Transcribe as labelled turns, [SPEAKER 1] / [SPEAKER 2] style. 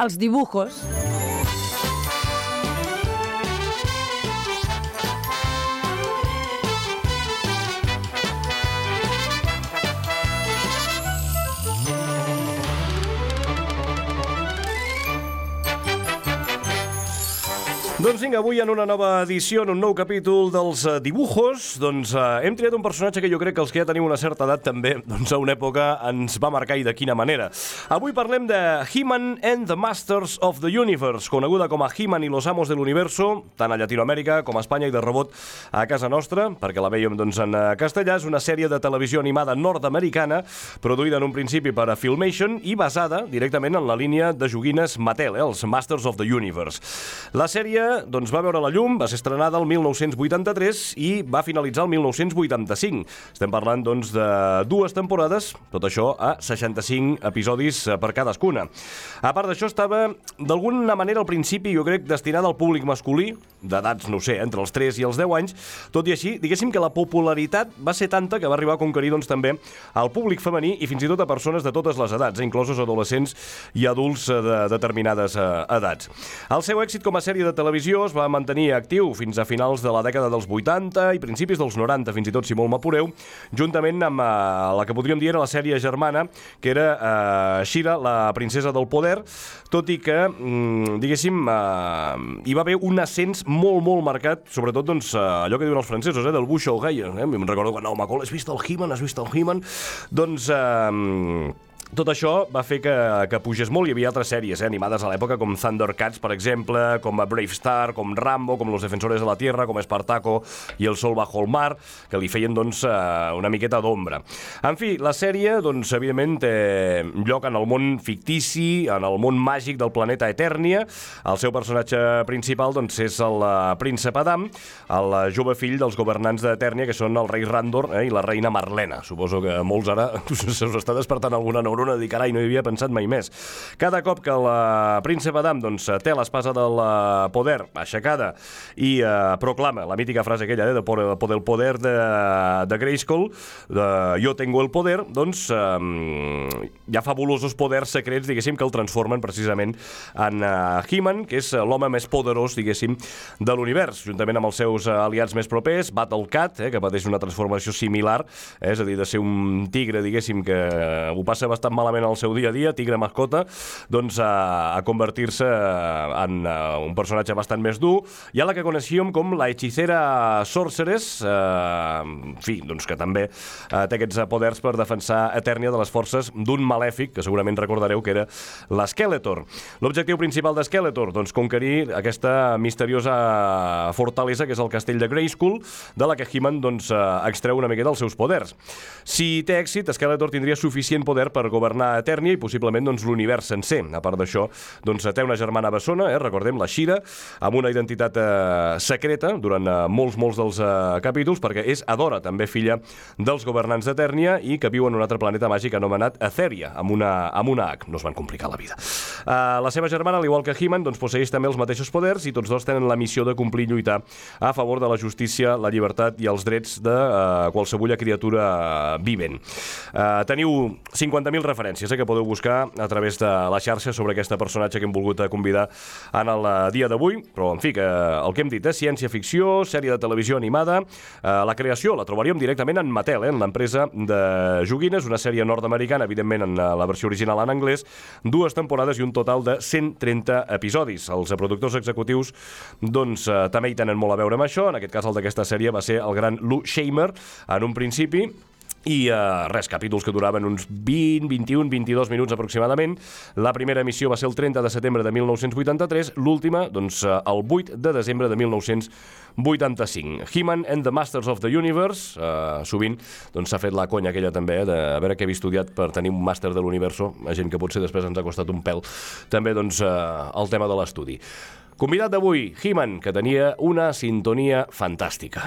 [SPEAKER 1] els dibujos.
[SPEAKER 2] Doncs vinga, avui en una nova edició, en un nou capítol dels dibujos, doncs hem triat un personatge que jo crec que els que ja teniu una certa edat també, doncs a una època ens va marcar i de quina manera. Avui parlem de He-Man and the Masters of the Universe, coneguda com a He-Man i los Amos del Universo, tant a Llatinoamèrica com a Espanya i de rebot a casa nostra, perquè la veiem doncs en castellà. És una sèrie de televisió animada nord-americana, produïda en un principi per a Filmation i basada directament en la línia de joguines Mattel, els Masters of the Universe. La sèrie doncs va veure la llum, va ser estrenada el 1983 i va finalitzar el 1985. Estem parlant doncs de 2 temporades, tot això a 65 episodis per cadascuna. A part d'això, estava d'alguna manera al principi, jo crec, destinada al públic masculí, d'edats, no sé, entre els 3 i els 10 anys. Tot i així, diguéssim que la popularitat va ser tanta que va arribar a conquerir doncs també al públic femení i fins i tot a persones de totes les edats, inclosos adolescents i adults de determinades edats. El seu èxit com a sèrie de televisió es va mantenir actiu fins a finals de la dècada dels 80 i principis dels 90, fins i tot si molt m'apureu, juntament amb la que podríem dir era la sèrie germana, que era She-Ra, la princesa del poder, tot i que, diguéssim, hi va haver un ascens molt, molt marcat, sobretot doncs, allò que diuen els francesos, del bouche à oreille. Em recordo quan Macol, has vist el He-Man? Has vist el He-Man? Doncs... tot això va fer que pugés molt. Hi havia altres sèries animades a l'època, com Thundercats, per exemple, com Brave Star, com Rambo, com Los Defensores de la Tierra, com Espartaco i El Sol bajo el mar, que li feien doncs, una miqueta d'ombra. En fi, la sèrie, doncs, evidentment, té lloc en el món fictici, en el món màgic del planeta Eternia. El seu personatge principal doncs, és el príncep Adam, el jove fill dels governants d'Eternia, que són el rei Randor i la reina Marlena. Suposo que molts ara se us està despertant alguna neurona de dir, carai, no hi havia pensat mai més. Cada cop que el príncep Adam doncs, té l'espasa del poder aixecada i proclama la mítica frase aquella de poder de Grayskull, de yo tengo el poder, doncs hi ha fabulosos poders secrets, diguéssim, que el transformen precisament en He-Man, que és l'home més poderós, diguéssim, de l'univers, juntament amb els seus aliats més propers, Battle Cat, que pateix una transformació similar, és a dir, de ser un tigre, diguéssim, que ho passa bastant malament al seu dia a dia, tigre mascota, doncs a convertir-se en un personatge bastant més dur. Hi ha la que coneixíem com la hechicera Sorceress, en fi, doncs que també té aquests poders per defensar Eternia de les forces d'un malèfic, que segurament recordareu que era l'Skeletor. L'objectiu principal d'Skeletor, doncs conquerir aquesta misteriosa fortalesa que és el castell de Grayskull, de la que He-Man doncs extreu una miqueta els seus poders. Si té èxit, Skeletor tindria suficient poder per governar Eternia i possiblement doncs, l'univers sencer. A part d'això, doncs, té una germana bessona, recordem, la She-Ra, amb una identitat secreta durant molts dels capítols, perquè és Adora, també filla dels governants d'Eternia i que viu en un altre planeta màgic anomenat Etheria, amb una H. No es van complicar la vida. La seva germana, al igual que He-Man, doncs, posseeix també els mateixos poders i tots dos tenen la missió de complir i lluitar a favor de la justícia, la llibertat i els drets de qualsevulla criatura vivent. Teniu 50.000 referències que podeu buscar a través de la xarxa sobre aquesta personatge que hem volgut convidar en el dia d'avui, però en fi, que el que hem dit és ciència-ficció, sèrie de televisió animada. La creació la trobaríem directament en Mattel, en l'empresa de joguines, una sèrie nord-americana, evidentment en la versió original en anglès, 2 temporades i un total de 130 episodis. Els productors executius doncs també hi tenen molt a veure amb això. En aquest cas, el d'aquesta sèrie va ser el gran Lou Scheimer en un principi, i capítols que duraven uns 20, 21, 22 minuts aproximadament. La primera emissió va ser el 30 de setembre de 1983, l'última, doncs, el 8 de desembre de 1985. He-Man and the Masters of the Universe, sovint doncs, s'ha fet la conya aquella també, de veure què havia estudiat per tenir un màster de l'universo, a gent que potser després ens ha costat un pèl, també doncs, el tema de l'estudi. Convidat d'avui, He-Man, que tenia una sintonia fantàstica.